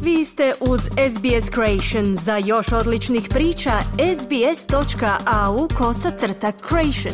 Vi ste uz SBS Creation. Za još odličnih priča, sbs.au/creation.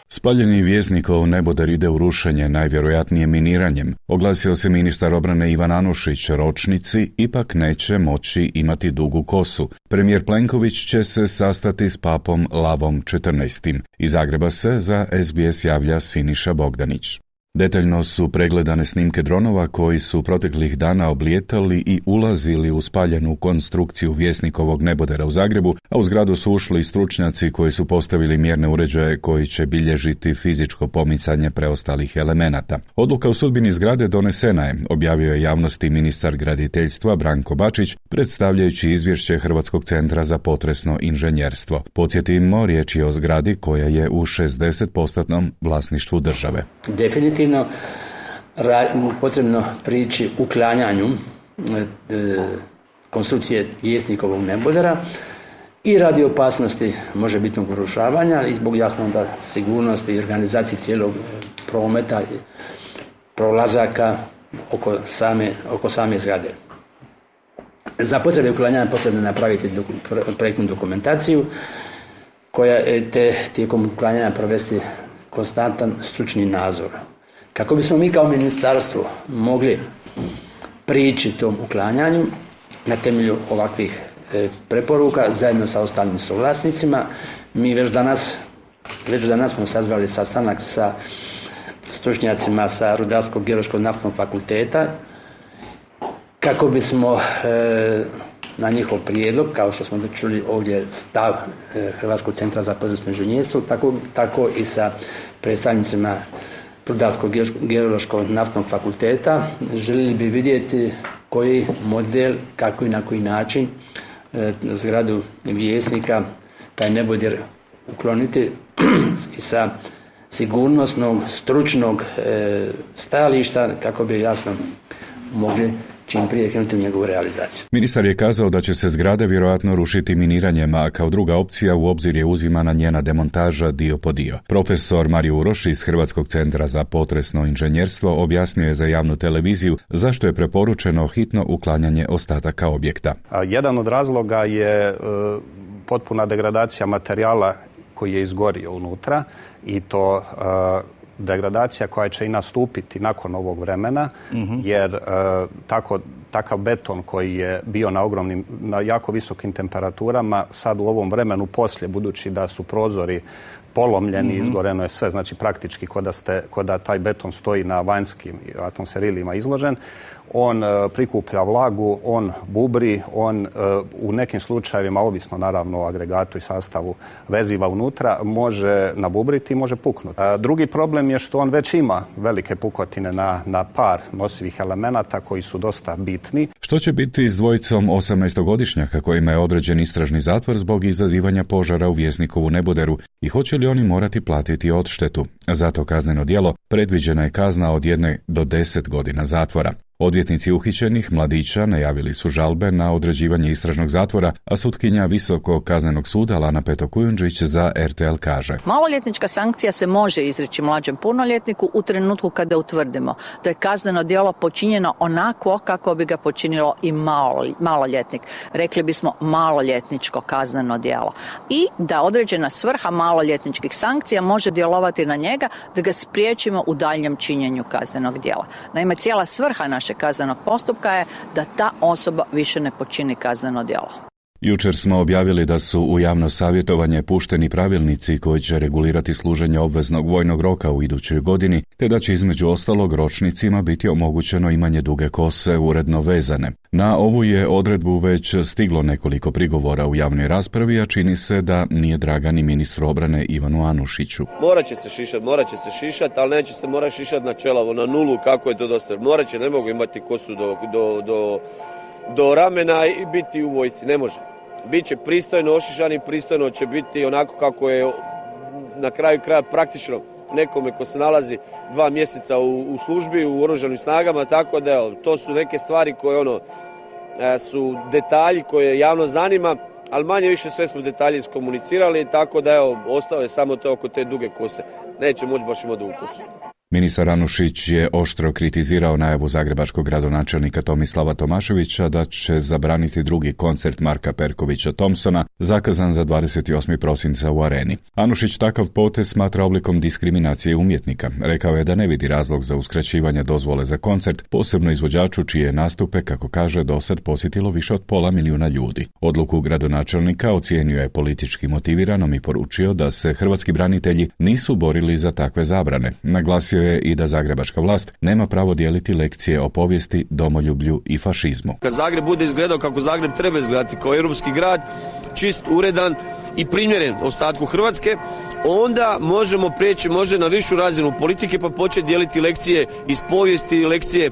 Spaljeni Vjesnikov neboder ide u rušenje, najvjerojatnije miniranjem. Oglasio se ministar obrane Ivan Anušić, ročnici ipak neće moći imati dugu kosu. Premijer Plenković će se sastati s papom Lavom XIV. Iz Zagreba se za SBS javlja Siniša Bogdanić. Detaljno su pregledane snimke dronova koji su proteklih dana oblijetali i ulazili u spaljenu konstrukciju Vjesnikovog nebodera u Zagrebu, a u zgradu su ušli stručnjaci koji su postavili mjerne uređaje koji će bilježiti fizičko pomicanje preostalih elemenata. Odluka o sudbini zgrade donesena je, objavio je javnosti ministar graditeljstva Branko Bačić, predstavljajući izvješće Hrvatskog centra za potresno inženjerstvo. Podsjetimo, riječ je o zgradi koja je u 60% vlasništvu države. Definitivno potrebno prići uklanjanju konstrukcije Vjesnikovog nebodera i radi opasnosti možebitnog urušavanja i zbog jasno da sigurnosti i organizacije cijelog prometa i prolazaka oko same zgrade. Za potrebe uklanjanja potrebno napraviti projektnu dokumentaciju koja je tijekom uklanjanja provesti konstantan stručni nadzor. Kako bismo mi kao ministarstvo mogli prići tom uklanjanju na temelju ovakvih preporuka zajedno sa ostalim suvlasnicima, mi već danas smo sazvali sastanak sa stručnjacima sa Rudarsko-geološkog naftnog fakulteta kako bismo na njihov prijedlog, kao što smo čuli ovdje stav Hrvatskog centra za potresno inženjerstvo, tako i sa predstavnicima Rudarsko-geološkog naftnog fakulteta, željeli bi vidjeti koji model, kako i na koji način zgradu Vjesnika, taj neboder ukloniti i sa sigurnosnog, stručnog stajališta kako bi jasno mogli čim prije krenuti u njegovu realizaciju. Ministar je kazao da će se zgrada vjerojatno rušiti miniranjem, a kao druga opcija u obzir je uzimana njena demontaža dio po dio. Profesor Mario Uroš iz Hrvatskog centra za potresno inženjerstvo objasnio je za javnu televiziju zašto je preporučeno hitno uklanjanje ostataka objekta. Jedan od razloga je potpuna degradacija materijala koji je izgorio unutra i to degradacija koja će i nastupiti nakon ovog vremena, jer takav beton koji je bio na jako visokim temperaturama, sad u ovom vremenu poslije, budući da su prozori polomljeni, izgoreno je sve, znači praktički ko da taj beton stoji na vanjskim atmosferilima izložen, on prikuplja vlagu, on bubri, on u nekim slučajevima, ovisno naravno o agregatu i sastavu veziva unutra, može nabubriti i može puknuti. Drugi problem je što on već ima velike pukotine na par nosivih elemenata koji su dosta bitni. Što će biti s dvojicom 18-godišnjaka kojima je određen istražni zatvor zbog izazivanja požara u Vjesnikovu neboderu i hoće li oni morati platiti odštetu? Za to kazneno djelo predviđena je kazna od 1 do 10 godina zatvora. Odvjetnici uhićenih mladića najavili su žalbe na određivanje istražnog zatvora, a sutkinja Visokog kaznenog suda Lana Peto-Kujundžić za RTL kaže: Maloljetnička sankcija se može izreći mlađem punoljetniku u trenutku kada utvrdimo da je kazneno djelo počinjeno onako kako bi ga počinilo i maloljetnik. Rekli bismo maloljetničko kazneno djelo. I da određena svrha maloljetničkih sankcija može djelovati na njega da ga spriječimo u daljnjem činjenju kaznenog djela. Naime, cijela svrha našeg kaznenog postupka je da ta osoba više ne počini kazneno djelo. Jučer smo objavili da su u javno savjetovanje pušteni pravilnici koji će regulirati služenje obveznog vojnog roka u idućoj godini, te da će između ostalog ročnicima biti omogućeno imanje duge kose uredno vezane. Na ovu je odredbu već stiglo nekoliko prigovora u javnoj raspravi, a čini se da nije draga ni ministru obrane Ivanu Anušiću. Morat će se šišati, ali neće se morati šišati na čelavo, na nulu, kako je to do sada. Morat će, ne mogu imati kosu do ramena i biti u vojsci, ne može. Biće pristojno ošišani, pristojno će biti onako kako je na kraju kraja praktično nekome ko se nalazi 2 mjeseca u službi, u oružanim snagama, tako da evo, to su neke stvari koje su detalji koje javno zanima, ali manje više sve smo detalje iskomunicirali, tako da evo, ostalo je samo to oko te duge kose. Neće moći baš imati dugu kosu. Ministar Anušić je oštro kritizirao najavu zagrebačkog gradonačelnika Tomislava Tomaševića da će zabraniti drugi koncert Marka Perkovića Thompsona zakazan za 28. prosinca u Areni. Anušić takav potez smatra oblikom diskriminacije umjetnika. Rekao je da ne vidi razlog za uskraćivanje dozvole za koncert, posebno izvođaču čije nastupe, kako kaže, dosad posjetilo više od 500 milijuna ljudi. Odluku gradonačelnika ocijenio je politički motiviranom i poručio da se hrvatski branitelji nisu borili za takve zabrane. Naglasio je i da zagrebačka vlast nema pravo dijeliti lekcije o povijesti, domoljublju i fašizmu. Kad Zagreb bude izgledao kako Zagreb treba izgledati, kao europski grad, čist, uredan i primjeren ostatku Hrvatske, onda možemo prijeći na višu razinu politike pa početi dijeliti lekcije iz povijesti, lekcije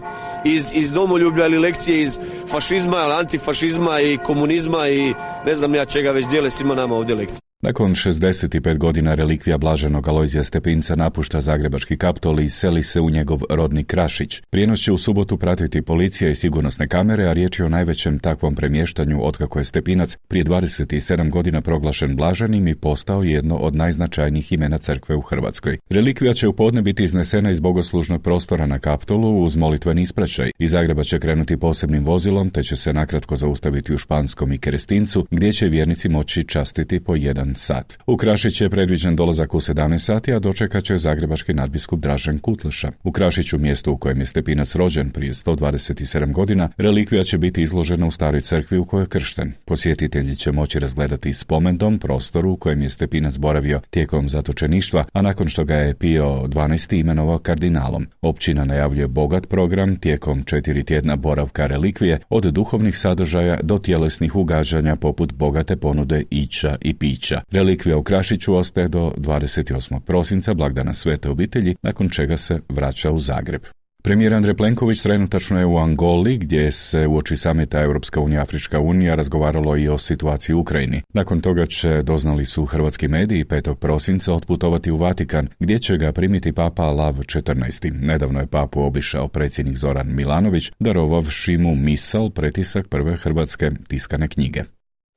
iz domoljublja ili lekcije iz fašizma, antifašizma i komunizma i ne znam ja čega već dijele svima nama ovdje lekcije. Nakon 65 godina relikvija blaženog Alojzija Stepinca napušta zagrebački Kaptol i seli se u njegov rodni Krašić. Prijenos će u subotu pratiti policija i sigurnosne kamere, a riječ je o najvećem takvom premještanju otkako je Stepinac prije 27 godina proglašen blaženim i postao jedno od najznačajnijih imena crkve u Hrvatskoj. Relikvija će u podne biti iznesena iz bogoslužnog prostora na Kaptolu uz molitveni ispraćaj. Iz Zagreba će krenuti posebnim vozilom, te će se nakratko zaustaviti u Španskom i Kerestincu, gdje će vjernici moći častiti po 1 sat. U Krašić je predviđen dolazak u 17 sati, a dočekat će zagrebački nadbiskup Dražen Kutleša. U Krašiću, mjestu u kojem je Stepinac rođen prije 127 godina, relikvija će biti izložena u staroj crkvi u kojoj je kršten. Posjetitelji će moći razgledati spomendom prostoru u kojem je Stepinac boravio tijekom zatočeništva, a nakon što ga je Pio XII imenovao kardinalom. Općina najavljuje bogat program tijekom 4 tjedna boravka relikvije, od duhovnih sadržaja do tjelesnih ugađanja poput bogate ponude ića i pića. Relikvija u Krašiću ostaje do 28. prosinca, blagdana Svete obitelji, nakon čega se vraća u Zagreb. Premijer Andrej Plenković trenutačno je u Angoli, gdje se uoči samita Europska unija Afrička unija razgovaralo i o situaciji u Ukrajini. Nakon toga će, doznali su hrvatski mediji, 5. prosinca otputovati u Vatikan, gdje će ga primiti papa Lav XIV. Nedavno je papu obišao predsjednik Zoran Milanović, darovavši mu misal, pretisak prve hrvatske tiskane knjige.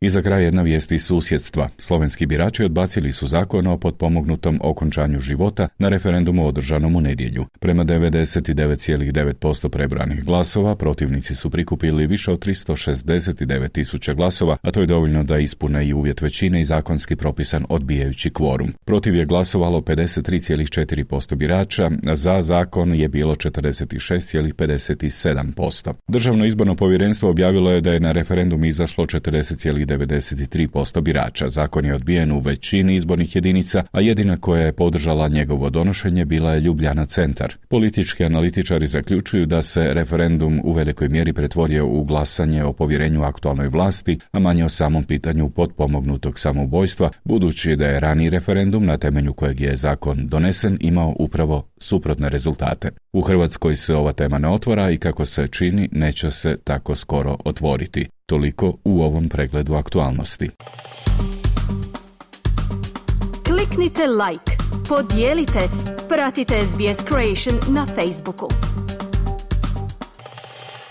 I za kraj jedna vijest iz susjedstva. Slovenski birači odbacili su zakon o potpomognutom okončanju života na referendumu održanom u nedjelju. Prema 99,9% prebranih glasova, protivnici su prikupili više od 369.000 glasova, a to je dovoljno da ispune i uvjet većine i zakonski propisan odbijajući kvorum. Protiv je glasovalo 53,4% birača, za zakon je bilo 46,57%. Državno izborno povjerenstvo objavilo je da je na referendum izašlo 40,93% birača. Zakon je odbijen u većini izbornih jedinica, a jedina koja je podržala njegovo donošenje bila je Ljubljana centar. Politički analitičari zaključuju da se referendum u velikoj mjeri pretvorio u glasanje o povjerenju aktualnoj vlasti, a manje o samom pitanju potpomognutog samoubojstva, budući da je raniji referendum na temelju kojeg je zakon donesen imao upravo suprotne rezultate. U Hrvatskoj se ova tema ne otvara i kako se čini neće se tako skoro otvoriti. Toliko u ovom pregledu aktualnosti. Kliknite like, podijelite, pratite SBS Creation na Facebooku.